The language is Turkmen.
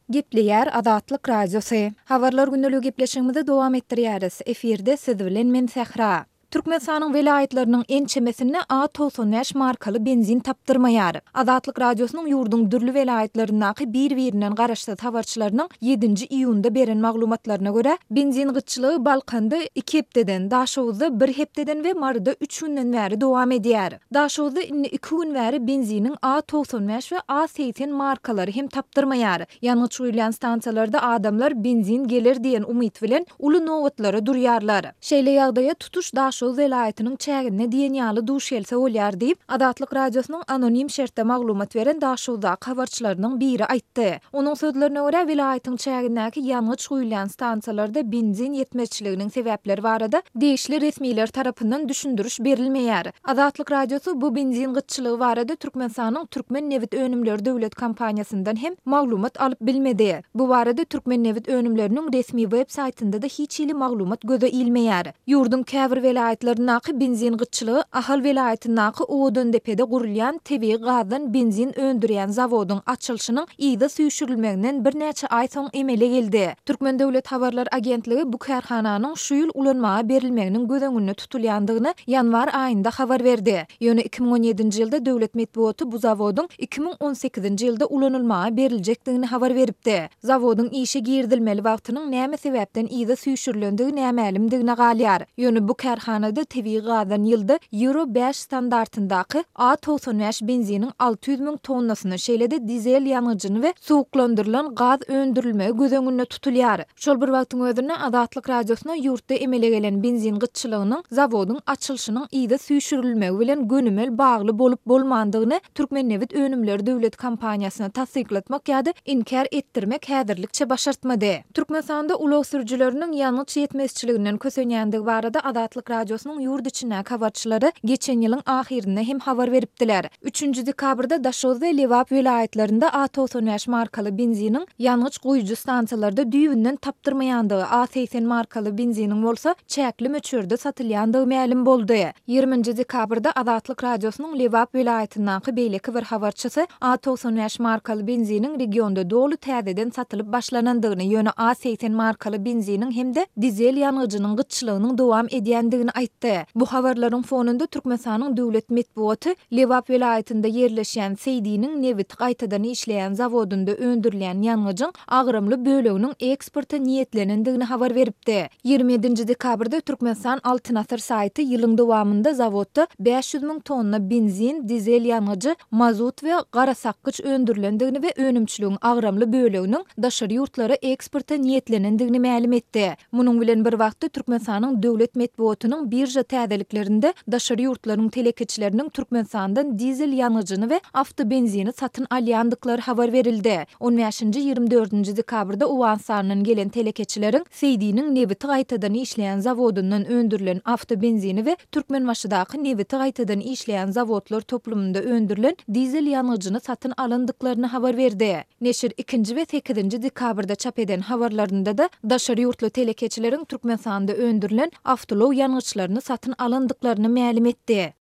Gepleýär Azatlyk Radiosy. Habarlar gündeligi gepleşigimizi dowam etdirýäris. Efirde siz bilen men Sähra. Türkmenistanyň welaýatlarynyň ençemesinde A 95 markaly benzin tapdyrmaýar. Azatlyk Radiosynyň ýurduň dürli welaýatlaryndaky bir-birinden garaşsyz habarçylarynyň ýedinji iýunda beren maglumatlaryna görä, benzin gytçylygy Balkanda iki hepdeden, Daşoguzda bir hepdeden we Maryda üç günden bäri dowam edýär. Daşoguzda indi iki gün bäri benziniň A 95 we A 80 markalary hem tapdyrmaýar. Ýangyç guýulýan stansiýalarda adamlar benzin geler diýen umyt bilen uly nobatlara durýarlar. Şeýle ýagdaýa tutuş Daşoguz welaýatynyň çäginde diýen ýaly duş gelse bolýar diýip, Azatlyk Radiosynyň anonim şertde maglumat beren Daşoguzdaky habarçylarynyň biri aýtdy. Onuň sözlerine görä, welaýatyň çägindäki ýangyç guýulýan stansiýalarda benzin ýetmezçiliginiň sebäpleri barada degişli resmiler tarapyndan düşündiriş berilmeýär. Azatlyk Radiosy bu benzin gytçylygy barada Türkmenistanyň Türkmennebitönümleri döwlet kompaniýasyndan hem maglumat alyp bilmedi. Bu barada Türkmennebitönümleriniň resmi web saýtynda-da hiç hili maglumat göze ilmeýär. Ýurduň käbir welaýatlaryndaky benzin gytçylygy Ahal welaýatyndaky Owadandepede gurulýan tebigy gazdan benzin öndürýän zawodyň açylyşynyň yza süýşürilmeginden birnäçe aý soň emele geldi. Türkmen döwlet habarlar agentligi bu kärhananyň şu ýyl ulanmaga berilmeginiň göz öňünde tutulýandygyny ýanwar aýynda habar berdi. Ýöne 2017-nji ýylda döwlet metbugaty bu zawodyň 2018-nji ýylda ulanylmaga beriljekdigini habar beripdi. Zawodyň işe girizilmeli wagtynyň näme sebäpden yza süýşürilendigi nämälimdigine galýar. Ýöne bu kärhanada tebigy gazdan ýylda Euro bäş standartyndaky A 95 benziniň 600 müň tonnasyny, şeýle-de dizel ýangyjyny we suwuklandyrylan gaz öndürilmegi göz öňünde tutulýar. Şol bir wagtyň özünde Azatlyk Radiosyna ýurtda emele gelen benzin gytçylygynyň zawodyň açylyşynyň yza süýşürilmegi bilen gönümel bagly bolup-bolmandygyny Türkmennebitönümleri döwlet kompaniýasyna tassyklatmak ýa-da inkär etdirmek häzirlikçe başartmady. Türkmenistanda ulag sürüjileriniň ýangyç ýetmezçiliginden kösenýändigi barada Azatlyk Radiosynyň ýurt içindäki habarçylary geçen ýylyň ahyrynda hem habar beripdiler. Üçünji dekabrda Daşoguz we Lebap welaýatlarynda A 95 markaly benziniň ýangyç guýujy stansiýalarda düýbünden tapdyrmaýandygy, A 80 markaly benziniň bolsa çäkli möçberde satylýandygy mälim boldy. Ýigriminji dekabrda Azatlyk Radiosynyň Lebap welaýatyndaky beýleki bir habarçysy A 95 markaly benziniň regionda doly täzeden satylyp başlanandygyny, ýöne A 80 markaly benziniň hem-de dizel ýangyjynyň gytçylygynyň dowam edýändigini aýtdy. Bu habarlaryň fonunda Türkmenistanyň döwlet metbugaty Lebap welaýatynda ýerleşýän Seýdiniň nebiti gaýtadan işleýän zawodynda öndürilýän ýangyjyň agramly böleginiň eksporta niýetlenendigini habar beripdi. 27-nji dekabrda Türkmenistan Altyn asyr saýty ýylyň dowamynda zawodda 500 müň tonna benzin, dizel ýangyjy, mazut we garasakgyç öndürilendigini we önümçiligiň agramly böleginiň daşary ýurtlara eksporta niýetlenendigini mälim etdi. Munuň bilen bir wagtda, Türkmenistanyň döwlet metbugatynyň birža täzeliklerinde daşary ýurtlaryň telekeçileriniň Türkmenistandan dizel ýangyjyny we awtobenzini satyn alýandyklary habar berildi. On bäşinji, 20 dördünji dekabrda Owganystandan gelen telekeçileriň Seýdiniň nebiti gaýtadan işleýän zawodyndan öndürilen awtobenzini we Türkmenbaşydaky nebiti gaýtadan işleýän zawodlar toplumynda öndürilen dizel ýangyjyny satyn alandyklaryny habar berdi. Neşir ikinji we sekizinji dekabrda çap eden habarlarynda-da daşary ýurtly telekeçileriň Türkmenistanda öndürilen awtoulag ýangyçlaryny satyn alandyklaryny mälim etdi.